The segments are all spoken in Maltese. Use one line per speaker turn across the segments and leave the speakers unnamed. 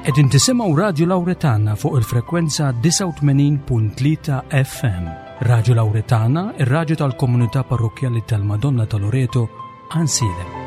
Qegħdin tisimgħu Radju Lawretana fuq il-frekwenza 89.3 FM. Radju Lawretana, ir-radju tal-komunità parrokkjali tal-Madonna ta' Loreto, Ansiedem.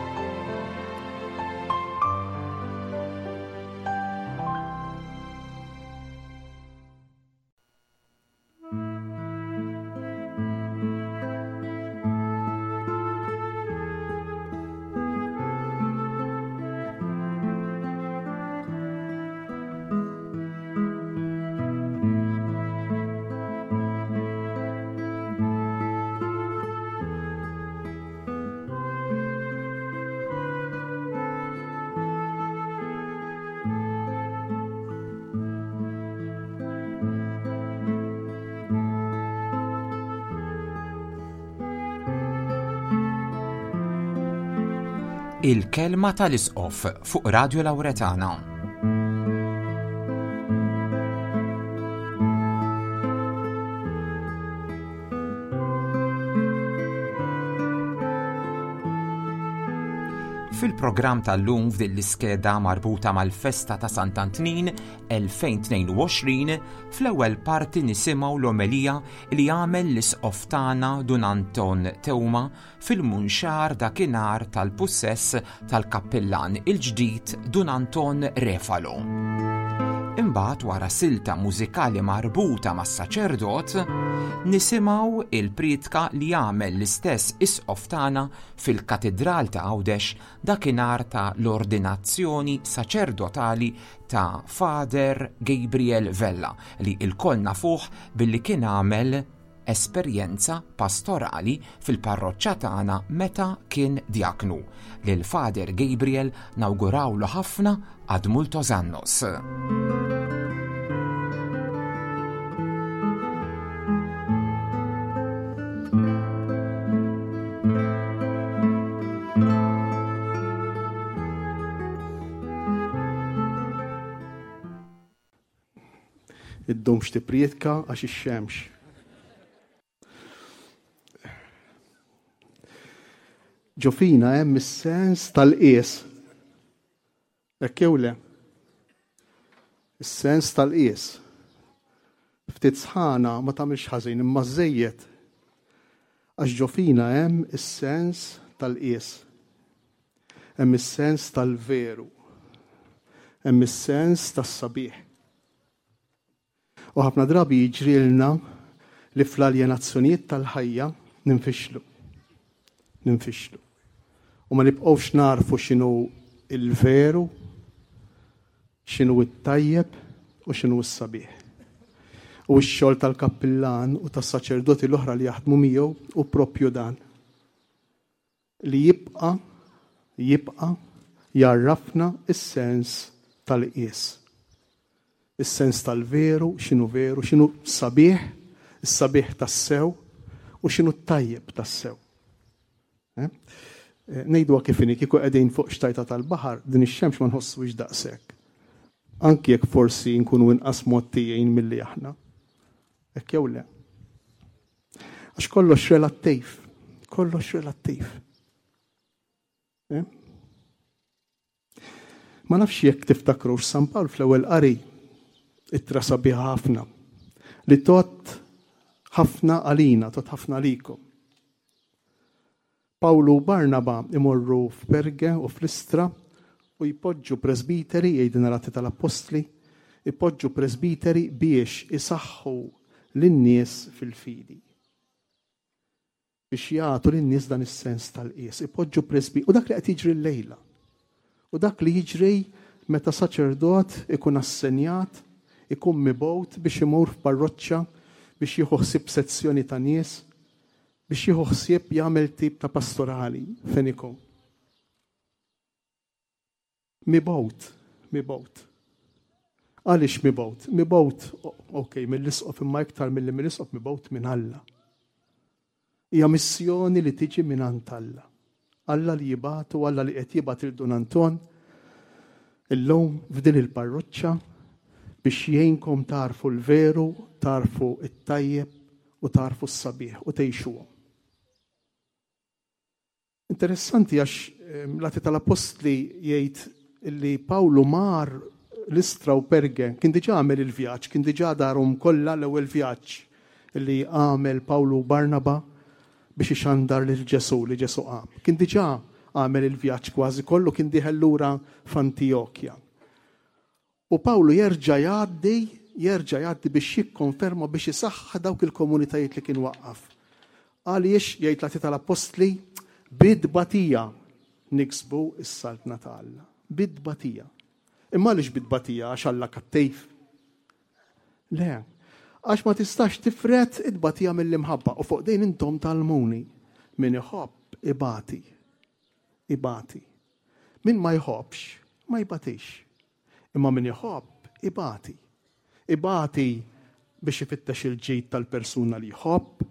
Il-kelma tal-Isqof fuq Radio Lauretana. Fil-programm tal-lum f'din l-iskeda marbuta mal-festa ta' Sant'Antnin 2022, fl-ewwel parti nisimgħu l-omelija li għamel l-Isqof tagħna Dun Anton Teuma fil-Munxar dakinhar tal-pussess tal-kappillan il-ġdid Dun Anton Refalo. Imbagħad wara silta mużikali marbuta mas-saċerdot, nisimgħu il-prietka li għamel l-istess Isqof tagħna fil-Katidral ta' Għawdex dakinhar ta' l-ordinazzjoni saċerdotali ta' Father Gabriel Vella li lkoll nafuh billi kien għamel esperjenza pastorali fil-parroċċa tagħna meta kien djaknu. Lil Father Gabriel nawgurawlu ħafna ad multos annos.
Iddumx tipprietka għax ix-xemx. Ġo fina hemm is-sens tal-qies. Hekk jew le? Is-sens tal-qies. Ftit sħana ma tagħmilx ħażin imma żejjed. Għax ġo fina hemm is-sens tal-qies. Hemm is-sens tal-veru. Hemm is-sens tas-sabiħ. U ħafna drabi jiġrilna li fl-aljenazzjonijiet tal-ħajja ninfixlu. Ninfixlu. U ma nibqgħux narfu x'inhu il-veru, x'inhu t-tajjeb u x'inhu s-sabiħ. U x-xogħol tal-kappillan u tas-saċerdoti l-oħra li jaħdmu miegħu hu proprju dan. Li jibqa' jibqa' jgħarrafna s-sens tal-qies. Is-sens tal-veru, x'inhu veru, x'inhu sabiħ, is-sabiħ tassew u x'inhu t-tajjeb tassew. Eh? eh ngħiduha kif inhi, kieku qegħdin fuq xtajta tal-baħar, din ix-xemx ma nħossuhiex daqshekk. Anki jekk forsi nkunu inqas mgħottijin milli aħna. Hekk jew le? Għax kollox relattiv. Kollox relattiv. Eh? Ma nafx jekk tiftakrux San Pawl fl-ewwel qari ittra sabiħa ħafna li tot ħafna għalina, tot ħafna għalikom. Pawlu u Barnaba imorru f'Perge u f'Listra u jpoġġu presbiteri, jgħidilna l-Atti tal-Appostli, ipoġġu presbiteri biex isaħħu lin-nies fil-fidi. Biex jagħtu lin-nies dan is-sens tal-qies, ipoġġu presbi u dak li qed jiġri llejla. U dak li jiġri meta saċerdot ikun assenjat, ikun mibgħut biex imur f'parroċċa biex jieħu ħsieb sezzjoni ta' nies, biex jieħu ħsieb jagħmel tip ta' pastorali fejn ikun. Mibgħut, mibgħut. Għaliex mibgħut? Mibgħut, ok, mill-isqof imma iktar milli mill-isqof mibgħut minn Alla. Hija missjoni li tiġi minn għand Alla. Alla li jibgħatu, Alla li qed jibgħat il Dun Anton illum f'din il-parroċċa biex jgħinkom tarfu l-veru, tarfu it-tajjeb u tagħrfu s-sabiħ u tgħixuhom. Interessanti għax ehm, l-Atti tal-Appostli jgħid li Pawlu mar Listra u Perge, kien diġà għamel il-vjaġġ, kien diġà darhom kollha l-ewwel vjaġġ li għamel Pawlu u Barnaba biex ixandar lil Ġesù li Ġesù qam. Kien diġà għamel il-vjaġġ kważi kollu kien dieħel lura f'Antijokja. U Pawlu jerġa' jgħaddi, jerġa' jgħaddi biex jikkonferma biex isaħħaħ dawk il-komunitajiet li kien waqqaf. Għaliex jgħid l-Atti tal-Appostli bit-tbatija niksbu s-saltna ta' Alla. Bit-tbatija. Imma għaliex bit-tbatija? Għax Alla kattiv. Le, għax ma tistax tifred it-tbatija mill-imħabba u fuq din intom tgħallmuni. Min iħobb ibati. Ibati. Min ma jħobbx, ma jbatix. Imma min iħobb, ibati. Ibati biex ifittex il-ġid tal-persuna li jħobb,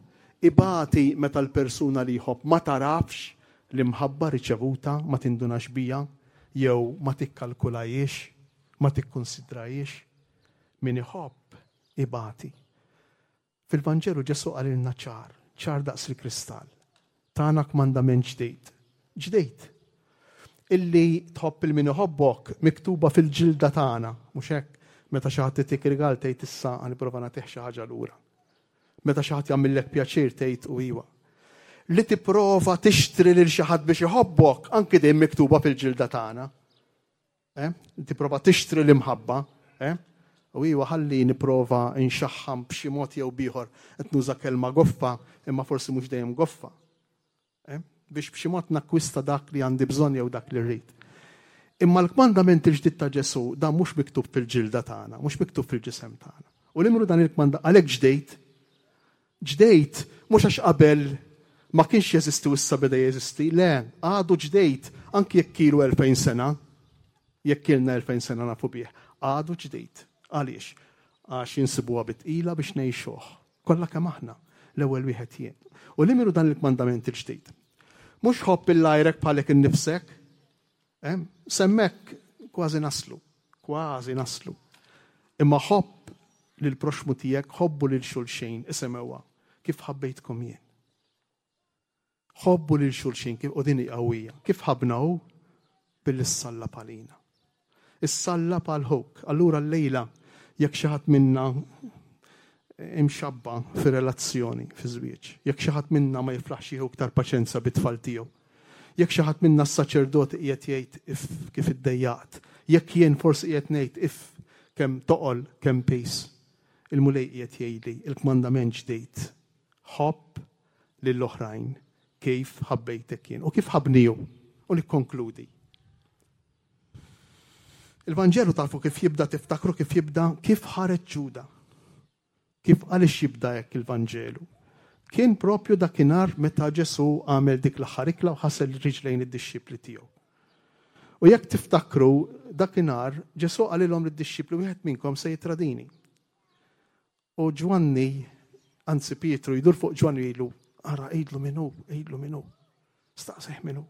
ibati meta l-persuna li jħobb ma tarafx l-imħabba riċevuta, ma tindunax bija, jew ma tikkalkulajiex, ma tikkunsidrajiex. Min iħobb, ibati. Fil-Vanġelu Ġesù qalilna ċar, ċar daqs il-kristall. Tana kmandament ġdid. Ġdid. Illi tħobb il min iħobbok miktuba fil-ġilda tagħna, mhux hekk? Meta xi ħadd itik rigal tgħid issa ħa nipprova nagħtih xi ħaġa lura. Meta xi ħadd jagħmillek pjaċir tgħid u iwa. Li tipprova tixtri lil xi ħadd biex iħobbok anki din miktuba fil-ġilda tagħna. Eh? Tipprova tixtri l-imħabba, eh? U iwa ħalli nipprova nxaħħam b'xi mod jew bieħor qed nuża kelma goffa, imma forsi mhux dejjem goffa. Eh? Biex b'xi mod nakkwista dak li għandi bżonn jew dak li rrid. Imma l-kmandament il-ġdid ta' Ġesù dan mhux miktub fil-ġilda tagħna, mhux miktub fil-ġisem tagħna. U l-imru dan il-kmanda għalhekk ġdejt Ġdejt, mhux għax qabel ma kienx jeżisti u issa beda jeżisti, le, għadu ġdejt, anki jekk ilu 2000 sena, jekk ilna 2000 sena nafu bih, għadu ġdid. Għaliex? Għax insibuha bi tqila biex ngħixuh. Kollha kemm aħna, l-ewwel wieħed jien. U li minnu dan il-kmandament il-ġdid? Mhux ħobb il-għajrek bħalek innifsek, Eh? Semmek kważi naslu, kważi naslu. Imma ħobb lil proxmu tiegħek, ħobbu lil xulxin, isimgħuha, kif ħabbejtkom jien. Ħobbu lil xulxin kif u din qawwija. Kif ħabna hu billi ssallab għalina. Issallab għal ħuk. Allura llejla jekk xi ħadd minna imxabba fi relazzjoni fi żwieġ, jekk xi ħadd minna ma jiflaħx jieħu iktar paċenza bit-tfal tiegħu, jekk xi ħadd minna s-saċerdot qiegħed jgħid if kif iddejjaqt, jekk jien forsi qiegħed ngħid if kemm toqol kemm pis, il-Mulej qiegħed jgħidli il-kmandament ġdid. Ħobb lill-oħrajn kif ħabbejtek jien u kif ħabbni hu. U nikkonkludi. Il-Vanġelu tafu kif jibda, tiftakru kif jibda, kif ħareġ Ġuda. Kif għaliex jibda hekk il-Vanġelu? Kien propju dakinhar meta Ġesù għamel dik l-aħħar ikla u ħasel riġlejn id-dixxipli tiegħu. U jekk tiftakru dakinhar Ġesù qalilhom lid-dixxipli wieħed minnkom se jitradini. U Ġwanni, anzi Pietru jdur fuq Ġwanni jgħidlu, ara għidlu min hu, għidlu min hu. Staqsih min hu.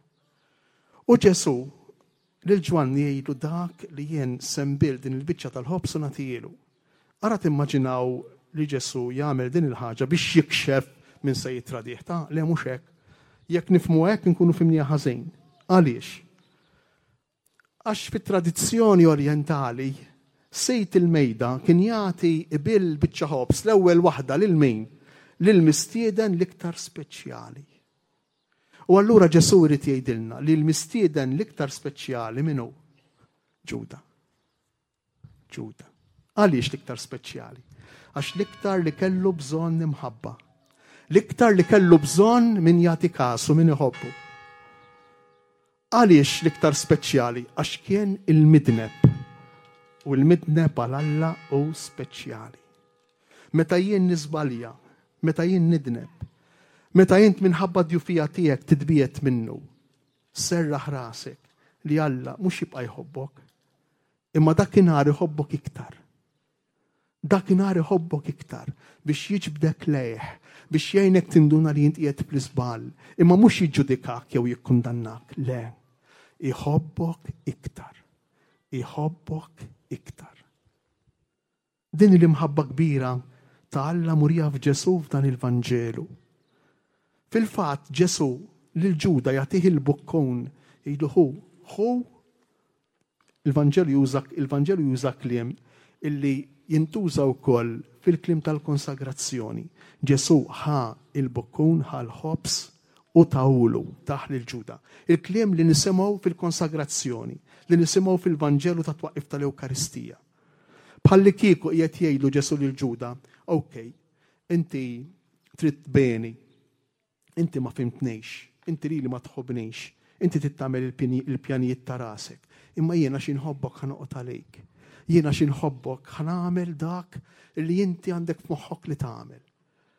U Ġesù lil Ġwanni jgħidlu dak li jien sembil din il-biċċa tal-ħobż u nagħtihielu. Ara timmaġinaw li Ġesù jagħmel din il-ħaġa biex jikxef min se jitradih ta' le mhux hekk. Jekk nifhmu hekk inkunu fimniha ħażin. Għaliex? Għax fit-tradizzjoni orjentali, sid il-mejda kien jagħti ibill biċċa ħobż l-ewwel waħda lil min? Lill-mistieden l-iktar speċjali. U allura Ġesù jrid jgħidilna li l-mistieden l-iktar speċjali min hu? Ġuda. Ġuda. Għaliex l-iktar speċjali? Għax l-iktar li kellu bżonn imħabba. L-iktar li kellu bżonn min jagħti kasu, min iħobbu. Għaliex l-iktar speċjali? Għax kien il-midneb. U l-midneb għal Alla hu speċjali. Meta jien niżbalja, meta jien nidneb, meta int minħabba djufija tiegħek titbiegħed minnu, serraħ rasek li Alla mhux jibqa' jħobbok, Imma dakinhar iħobbok iktar. Dakinhar iħobbok iktar biex jiġbdek lejh, biex jgħinek tinduna li int qiegħed fl-iżball, imma mhux jiġġudikak jew jikkundannak, le. Iħobbok iktar. Iħobbok iktar. Din hi l-imħabba kbira ta' Alla murija f'Ġesù f'dan il-Vanġelu. Fil-fatt, Ġesù lil Ġuda jagħtih il-bukkun, jgħidlu ħu, ħu Il-Vanġelu juża il-Vanġelu juża kliem illi jintuża wkoll fil-kliem tal-konsagrazzjoni. Ġesù ħa il-bukkun, ħa l-ħobż u tahulu, tah lil Ġuda. Il-kliem li nisimgħu fil-konsagrazzjoni, li nisimgħu fil-Vanġelu tat-twaqqif tal-Ewkaristija. Bħallikieku qiegħed jgħidlu Ġesù lil Ġuda, ok, inti trid tbeni, inti ma fhimtnix, inti lili ma tħobbnix, inti trid tagħmel il-pjanijiet ta' rasek, imma jiena xi nħobbok ħa noqgħod għalik. Jiena xi nħobbok ħa nagħmel dak li inti għandek f'moħħok li tagħmel.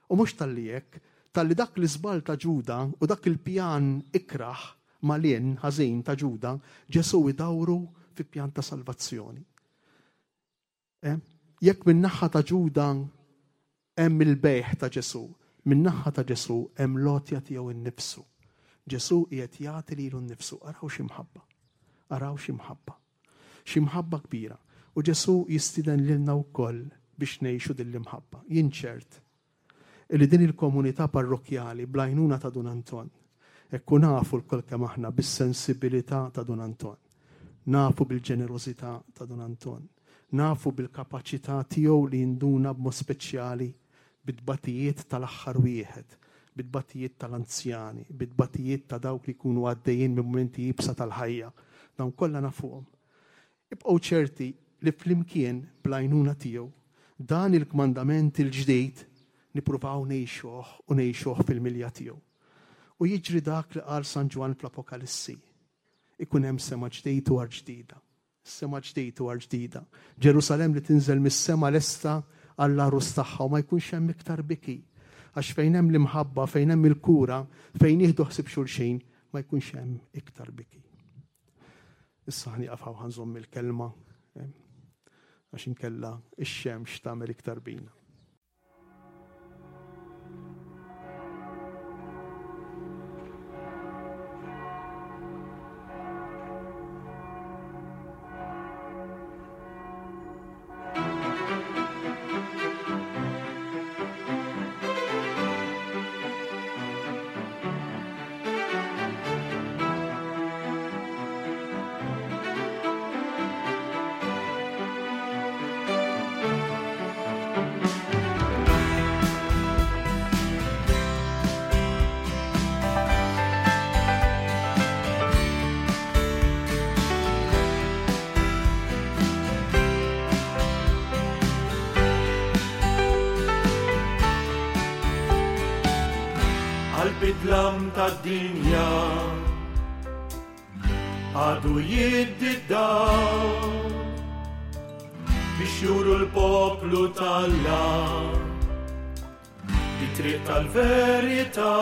U mhux talli hekk, talli dak l-iżball ta' Ġuda u dak il-pjan ikrah malinn ħażin ta' Ġuda, Ġesù idawru fi pjan ta' salvazzjoni. Eh? Jekk min-naħa ta' Ġuda hemm il-bejħ ta' Ġesù, min-naħa ta' Ġesù hemm l-għotja tiegħu nnifsu. Ġesù qiegħed jagħti lilu nnifsu. Araw xi mħabba. Araw xi mħabba. Xi mħabba kbira. U Ġesù jistieden lilna wkoll biex ngħixu din l-imħabba. Jien ċert Illi din il-komunità parrokkjali bl-għajnuna ta' Dun Anton, hekk u nafu lkoll kemm aħna bis-sensibilità ta' Dun Anton, nafu bil-ġenerożità ta' Dun Anton, nafu bil-kapaċità tiegħu li jinduna b'mod speċjali bit-tbatijiet tal-aħħar wieħed, bit-tbatijiet tal-anzjani, bit-tbatijiet ta' dawk li jkunu għaddejjin minn mumenti iebsa tal-ħajja. Dawn kollha nafuhom. Ibqgħu ċerti li flimkien, bl-għajnuna tiegħu, dan il-kmandament il-ġdid nippruvaw ngħixuh u ngħixuh fil-milja tiegħu. U jiġri dak li qal San Ġwann fl-Apokalissi, Ikun hemm sema ġdid u art ġdida. Sema ġdid u art ġdida. Ġerusalemm li tinżel mis-sema lesta għall-għarus tagħha u ma jkunx hemm iktar biki. Għax fejn hemm l-imħabba, fejn hemm il-kura, fejn jieħdu ħsieb xulxin, ma jkunx hemm iktar biki. Issa ħnieqaf hawn ħanżomm il-kelma eh, għax inkella ix-xemx tagħmel iktar bina.
Qalb id-dlam tad-dinja għadu jiddi d-dawl biex juru l-poplu talla it-triq tal-verità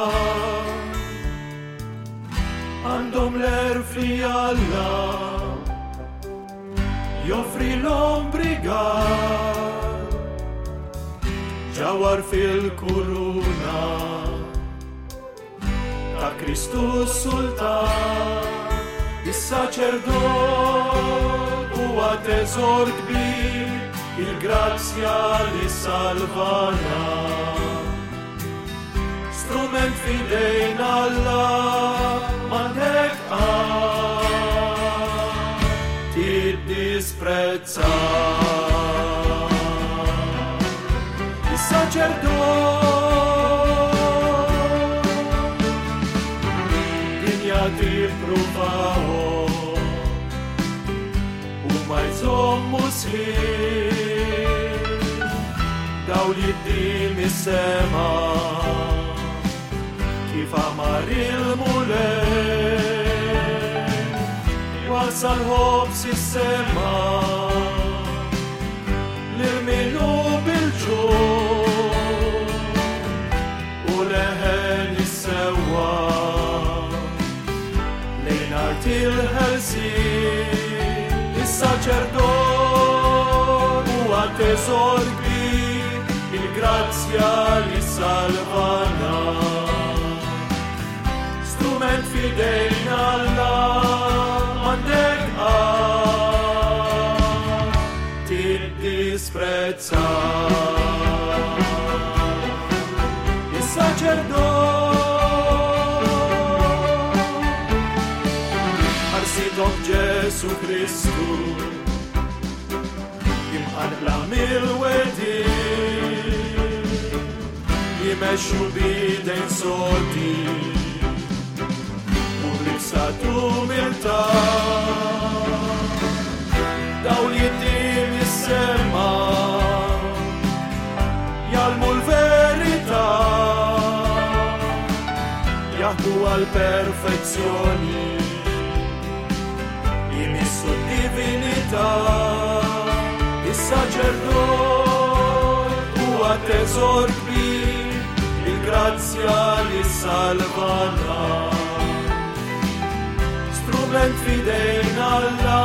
għandhom l-erf li Alla joffri l-ombrigal ġawar fil-kuruna ta' Kristu Sultan, is-saċerdot huwa teżor kbir, il-grazzja li salvana. Strument fidejn Alla m'għandek tiddisprezza. Is-saċerdot dinja tippruvahom u ma jżommu sħiħ dawl jiddi mis-sema kif amar il-Mulej wasal ħobż is-sema lil min hu bil-ġuħ u leħen is-sewwa lejn art il-ħelsien. Is-saċerdot huwa teżor kbir, il-grazzja li salvana. Strument fidejn Alla m'għandek qatt tiddisprezza. Is-saċerdot. Sidhom Ġesu Kristu Imqanqla mill-wedi Jimexxu bidejn sodi U b'libsa t'umiltà Dawl jiddi mis-sema Jgħallmu l-verità Jaħdmu għall-perfezzjoni Jmissu d-divinità Is-saċerdot huwa teżor kbir Il-grazzja li salvana Strument f'idejn Alla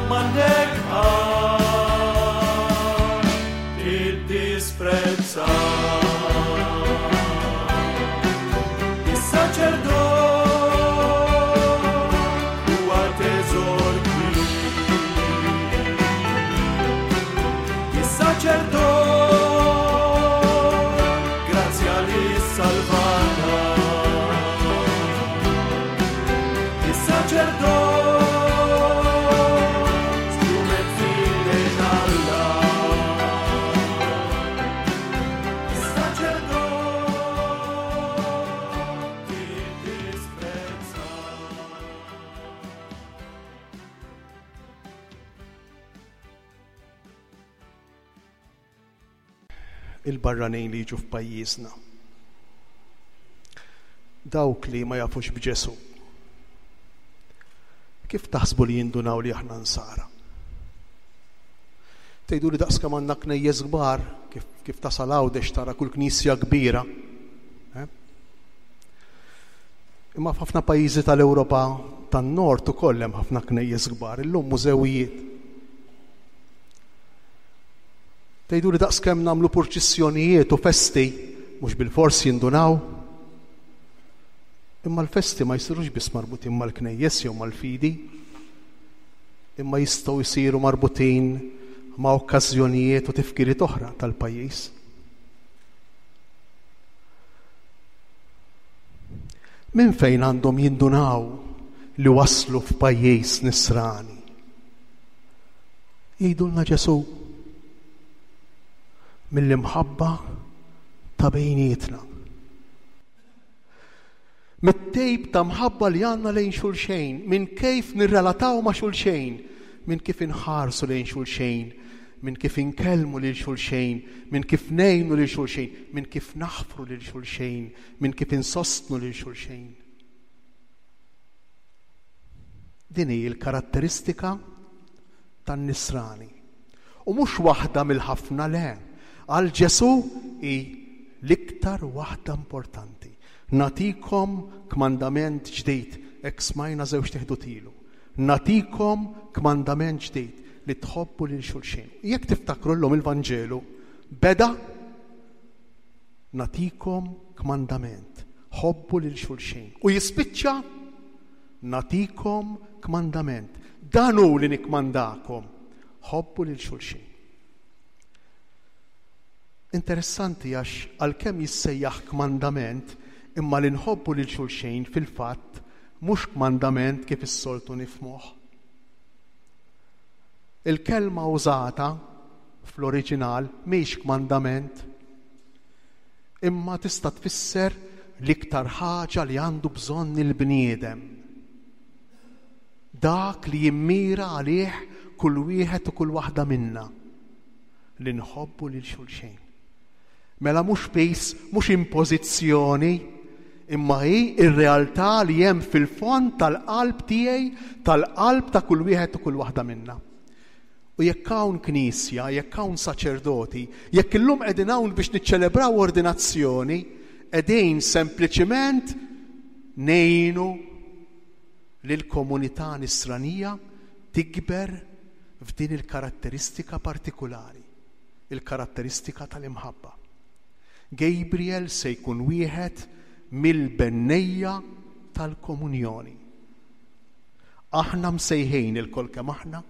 m'għandek qatt tiddisprezza. Is-saċerdot huwa teżor kbir. Is-saċerdot grazzja li salvana. Is-saċerdot strument f'idejn Alla. Is-saċerdot tiddisprezza.
Il-barranin li jiġu f'pajjiżna. Dawk li ma jafux b'Ġesù. Kif taħsbu li jindunaw li aħna nsara? Tgħidu li daqs kemm għandna knejjes kbar, kif, kif tasal Għawdex tara kull knisja kbira. Eh? Imma f'ħafna pajjiżi tal-Ewropa tan-Nord ukoll hemm ħafna knejjes kbar, illum mużewijiet. Tgħidu li daqs kemm nagħmlu purċissjonijiet u festi, mhux bilfors jindunaw. Imma l-festi ma jsirux biss marbutin mal-knejjes jew mal-fidi, imma jistgħu jsiru marbutin ma' okkażjonijiet u tifkiriet oħra tal-pajjiż. Minn fejn għandhom jindunaw li waslu f'pajjiż nisrani? Jgħidulna Ġesù mill-imħabba ta' bejnietna. Mit-tejb ta' mħabba li għandna lejn xulxejn, minn kif nirrelataw ma' xulxejn, minn kif inħarsu lejn xulxejn, minn kif inkellmu lil xulxejn, minn kif ngħinu lil xulxejn, minn kif naħfru lil xulxejn, minn kif insostnu lil xulxejn. Din hi l-karatteristika tan-nisrani. U mhux waħda mill-ħafna le. Għal Ġesù hi l-iktar waħda importanti. Nagħtikom kmandament ġdid, hekk smajna żewġ teħdut ilu. Nagħtikom kmandament ġdid li tħobbu lil xulxin. Jekk tiftakru llum il-Vanġelu beda nagħtikom kmandament, ħobbu lil xulxin. U jispiċċa nagħtikom kmandament. Dan hu li nikkmandakom, ħobbu lil xulxin. Interessanti għax għalkemm jissejjaħ kmandament, imma li nħobbu lil xulxin fil-fatt mhux kmandament kif is-soltu nifhmuh. Il-kelma użata fl-oriġinal mhix kmandament, imma tista' tfisser l-iktar ħaġa li għandu bżonn il-bniedem. Dak li jimmira għalih kull wieħed u kull waħda minna li nħobbu lil xulxin. Mela mhux piż, mhux impożizzjoni, imma hi r-realtà li hemm fil-fond tal-qalb tiegħi, tal-qalb ta' kull wieħed u kull waħda minna. U jekk hawn knisja, jekk hawn saċerdoti, jekk illum qegħdin hawn biex niċċelebraw ordinazzjoni, qegħdin sempliċiment ngħinu lill-komunità nisranija tikber f'din il-karatteristika partikulari, il-karatteristika tal-imħabba. Gabriel se jkun wieħed mill-bennejja tal-komunjoni. Aħna msejħin ilkoll kemm aħna,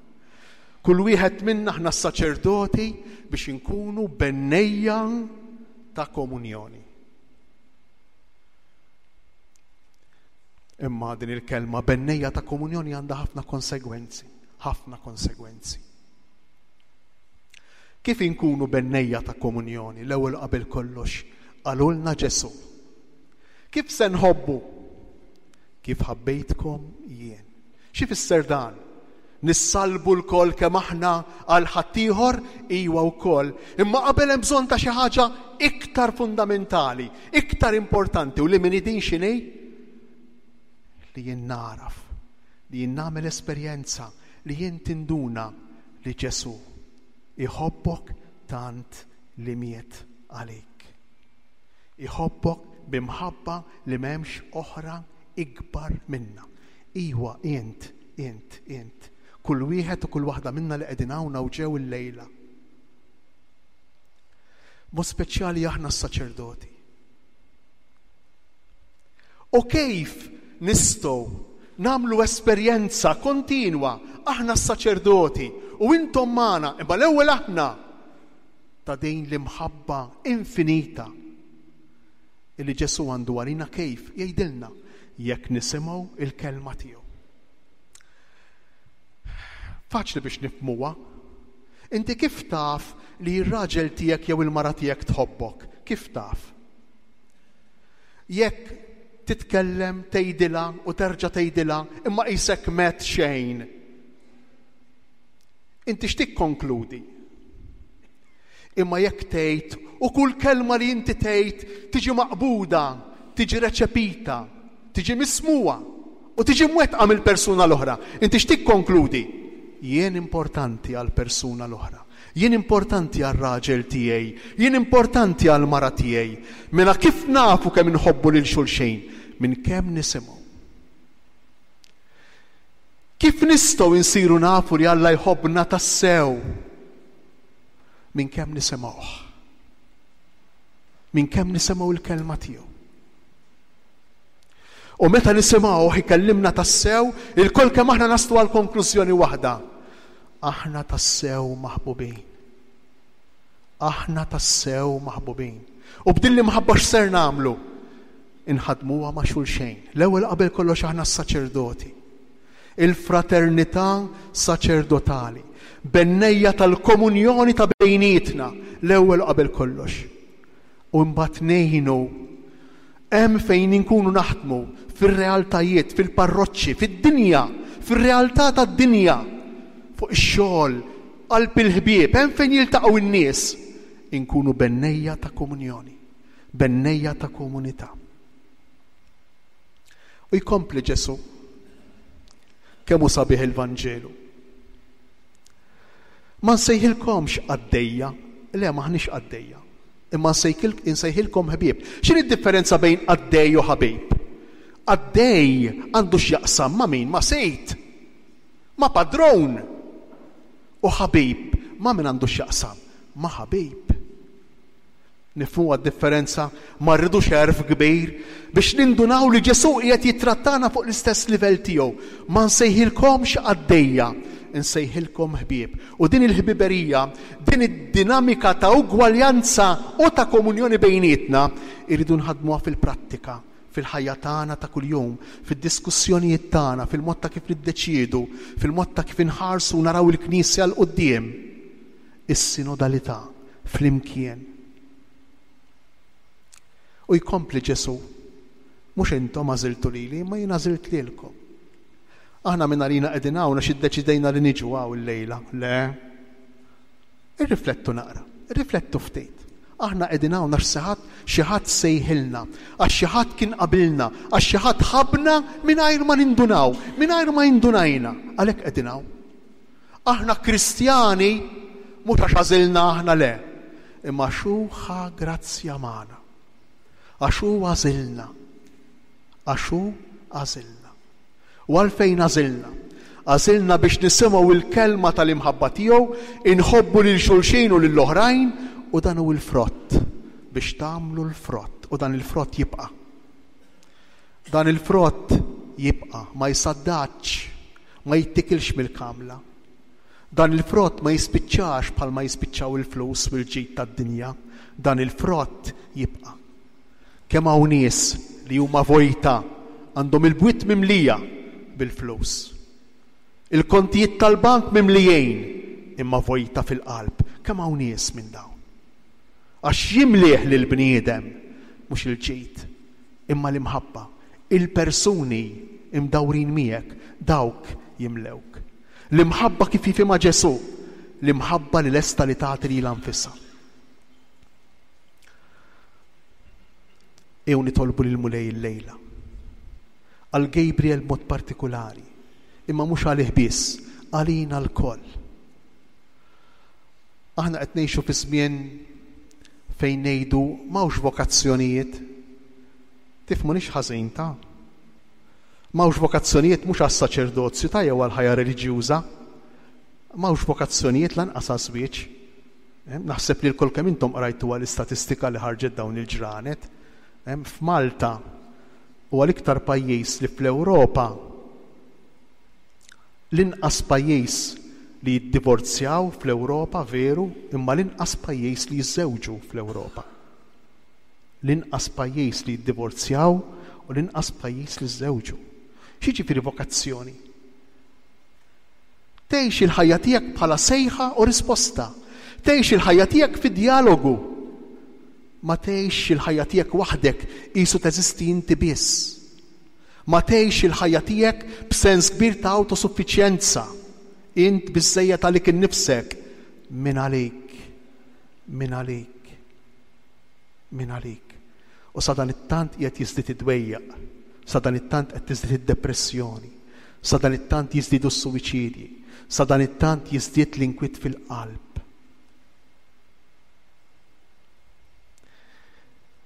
kull wieħed minna aħna s-saċerdoti biex inkunu bennejja ta' komunjoni. Imma din il-kelma bennejja ta' komunjoni għandha ħafna konsegwenzi, ħafna konsegwenzi. Kif inkunu bennejja ta' komunjoni l-ewwel qabel kollox qalulna Ġesù. Kif se nħobbu? Kif ħabbejtkom jien. Xi fisser dan? Nissalbu lkoll kemm aħna għal ħaddieħor, iwa wkoll, imma qabel hemm bżonn ta' xi ħaġa iktar fundamentali, iktar importanti u li min din x'inhi? Li jien nagħraf, li jien nagħmel esperjenza, li jien tinduna li Ġesù iħobbok tant li miet għalik. Iħobbok b'imħabba li m'hemmx oħra ikbar minnha. Iwa, int, int, int. Kull wieħed u kull waħda minna li qegħdin hawn hawn ġew illejla. Mod speċjali aħna s-saċerdoti. U kif nistgħu nagħmlu esperjenza kontinwa aħna s-saċerdoti u intom magħna, imma l-ewwel aħna ta' din l-imħabba infinita illi Ġesù għandu għalina kif jgħidilna jekk nisimgħu il-kelma tiegħu. Faċli biex nifhmuha. Inti kif taf li r-raġel tiegħek jew il-mara tiegħek tħobbok? Kif taf? Jekk titkellem tgħidilha u terġa' tgħidilha imma qisek met xejn. Inti x'tikkonkludi? Imma jekk tgħid u kull kelma li inti tgħid tiġi maqbuda, tiġi reċepita, tiġi mismugħa u tiġi mwettqa mill-persuna l-oħra, inti x'tikkonkludi? Jien importanti għall-persuna l-oħra. Jien importanti għar-raġel tiegħi. Jien importanti għall-mara tiegħi. Mela kif nafu kemm inħobbu lil xulxin? Minn kemm nisimgħu. Kif nistgħu nsiru nafu li Alla jħobbna tassew? Minn kemm nisimgħuh. Minn kemm nisimgħu l-kelma tiegħu. U meta nisimgħuh ikellimna tassew, ilkoll kemm aħna naslu għal konklużjoni waħda. Aħna tassew maħbubin. Aħna tassew maħbubin. U b'din l-imħabba x'ser nagħmlu? Inħadmuha ma' xulxejn. L-ewwel qabel kollox aħna s-saċerdoti. Il-fraternità saċerdotali, bennejja tal-komunjoni ta' bejnietna, l-ewwel qabel kollox. U mbagħad ngħinu hemm fejn inkunu naħdmu fir-realtajiet, fil-parroċċi, fid-dinja, fir-realtà tad-dinja, fuq ix-xogħol, qalb il-ħbieb, hemm fejn jiltaqgħu n-nies, inkunu bennejja ta' komunjoni, bennejja ta' komunità. U jkompli Ġesù. Kemm hu sabiħ il-Vanġelu. Ma nsejħilkomx qaddejja, le m'aħniex qaddejja, imma nsejħilkom ħbieb. X'inhi d-differenza bejn qaddej u ħabib? Qaddej għandu x'jaqsam ma' min? Ma' sid, ma' padrun. U ħabib ma' min għandu x'jaqsam? Ma' ħabib. Nifhmuha d-differenza? Ma rridux għerf kbir biex nindunaw li Ġesù qiegħed jittrattana fuq l-istess livell tiegħu. Ma nsejħilkomx qaddejja, insejħilkom ħbieb. U din il-ħbiberija, din id-dinamika ta' ugwaljanza u ta' komunjoni bejnietna, irridu nħaddmuha fil-prattika, fil-ħajja tagħna ta' kuljum, fid-diskussjonijiet tagħna, fil-mod ta' kif niddeċiedu, fil-mod ta' kif inħarsu u naraw il-Knisja 'l quddiem. Is-sinodalità flimkien. U jkompli Ġesù, Mhux intom għażiltu lili, imma jien għażilt lilkom. Aħna minn għalina qegħdin hawn għax iddeċidejna li niġu hawn illejla. Le. Irriflettu naqra, irriflettu ftit. Aħna qegħdin hawn għax xi ħadd xi ħadd sejħilna, għax xi ħadd kien qabilna, għax xi ħadd ħabbna mingħajr ma nindunaw, mingħajr ma indunajna. Għalhekk qegħdin hawn. Aħna Kristjani mhux għax għażilna aħna le, imma għax hu ħa grazzja magħna. Għax hu għażilna. Għax hu għażilna. U għalfejn għażilna? Għażilna biex nisimgħu il-kelma tal-imħabba tiegħu, inħobbu lil xulxin u lill-oħrajn u dan hu l-frott biex tagħmlu l-frott u dan il-frott jibqa'. Dan il-frott jibqa', ma jsaddatx, ma jittikilx mill-kamla. Dan il-frott ma jispiċċax bħalma jispiċċaw il-flus u l-ġid tad-dinja. Dan il-frott jibqa'. Kemm hawn nies li huma vojta Għandhom il-bwiet mimlija bil-flus. Il-kontijiet tal-bank mimlijin, imma vojta fil-qalb. Kemm hawn nies minn dawn? Għax jimlieh lill-bniedem mhux il-ġid, imma l-imħabba. Il-persuni imdawrin miegħek, dawk jimlewk. L-imħabba kif jifhimha Ġesù, l-imħabba li lesta li tagħti lilha nfisha. Ejjew nitolbu lill-Mulej illejla. Għal Gabriel b'mod partikulari, imma mhux għalih biss, għalina lkoll. Aħna qed ngħixu fi żmien fejn ngħidu m'hawnx vokazzjonijiet. Tifhmunix ħażin ta'. M'hawnx vokazzjonijiet mhux għas-saċerdozju ta' jew għall-ħajja reliġjuża. M'hawnx vokazzjonijiet lanqas għaż-żwieġ. Naħseb li lkoll kemm intom qrajtuha l-istatistika li ħarġet dawn il-ġranet. F'Malta huwa l-iktar pajjiż li fl-Ewropa l-inqas pajjiż li jiddivorzjaw fl-Ewropa veru, imma l-inqas pajjiż li jiżżewġu fl-Ewropa. L-inqas pajjiż li jiddivorzjaw u l-inqas pajjiż li żżewġu. X'jiġifieri vokazzjoni? Tgħix il-ħajja tiegħek bħala sejħa u risposta. Tgħix il-ħajja tiegħek fi djalogu. Ma tgħixx il-ħajja tiegħek waħdek qisu teżisti inti biss. Ma tgħixx il-ħajja tiegħek b'sens kbir ta' awtosuffiċjenza. Int biżżejjed għalik innifsek. Min għalik? Min għalik? Min għalik? U sadanittant qiegħed jiżdied id-dwejjaq, sadanittant qed tiżdied id-depressjoni, sadanittant jiżdiedu s-suwiċidji, sadanittant jiżdied l-inkwiet fil-qalb.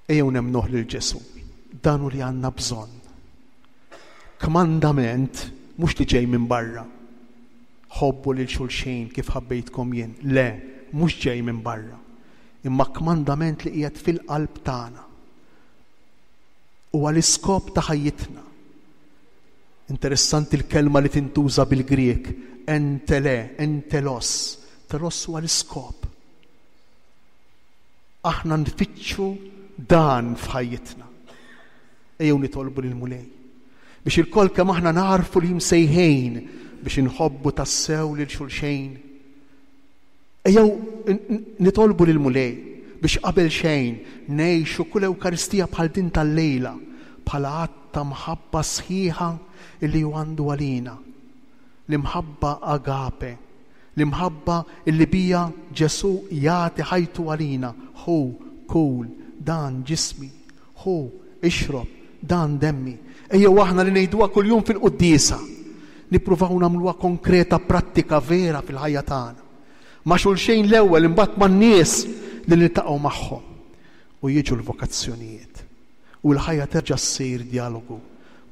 Ejjew nemmnuh lil Ġesù. Dan hu li għandna bżonn. Kmandament mhux li ġej minn barra. Ħobbu lil xulxin kif ħabbejtkom jien. Le, mhux ġej minn barra. Imma kmandament li qiegħed fil-qalb tagħna. Huwa l-iskop ta' ħajjitna. Interessanti l-kelma li tintuża bil-Grieg, entele, entelos. Telos huwa l-iskop. Aħna nfittxu dan f'ħajjitna. Ejjew nitolbu lill-Mulej biex ilkoll kemm aħna nagħrfu li msejħin biex inħobbu tassew lil xulxejn. Ejjew nitolbu lill-Mulej biex qabel xejn ngħixu kull Ewkaristija bħal din tal-lejla bħala att ta' mħabba sħiħa illi hu għandu għalina. L-imħabba agape, L-imħabba illi biha Ġesù jagħti ħajtu għalina, Ħu, kul, dan ġismi. Ħu, ixrob, dan demmi. Ejjew aħna li ngħiduha kuljum fil-quddiesa, nippruvaw nagħmluha konkreta, prattika, vera fil-ħajja tagħna. Ma' xulxejn l-ewwel, imbagħad man-nies li niltaqgħu magħhom. U jiġu l-vokazzjonijiet. U l-ħajja terġa' ssir djalogu,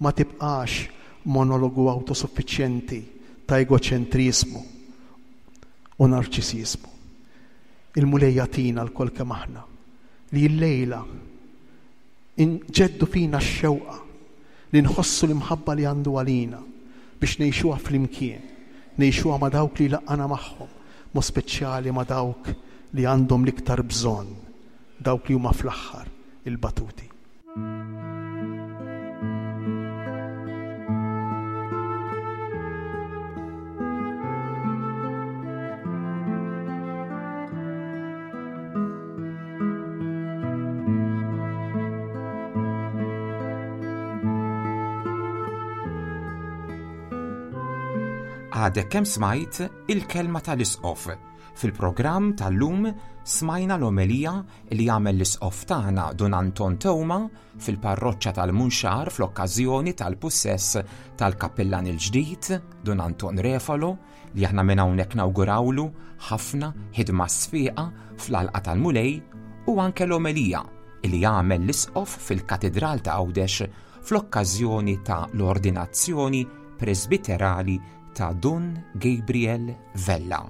ma tibqax monologu awtosuffiċjenti ta' egoċentriżmu u narċisiżmu. Il-Mulej jagħtina lkoll kemm aħna li llejla inġeddu fina x-xewqa li nħossu l-imħabba li għandu għalina biex ngħixuha flimkien, ngħixuha ma' dawk li jlaqqana magħhom, mod speċjali ma' dawk li għandhom l-iktar bżonn, dawk li huma fl-aħħar il-batuti.
Għadek kemm smajt il-kelma tal-Isqof. Fil-programm tal-lum smajna l-omelija li għamel l-Isqof tagħna Dun Anton Teuma fil-parroċċa tal-Munxar fl-okkażjoni tal-pussess tal-kappillan il-ġdid Dun Anton Refalo li aħna minn hawnhekk nawgurawlu ħafna ħidma sfiqa fl-għalqa tal-Mulej u anke l-omelija li għamel l-Isqof fil-Katidral ta' Għawdex fl-okkażjoni ta' l-ordinazzjoni presbiterali ta' Dun Gabriel Vella.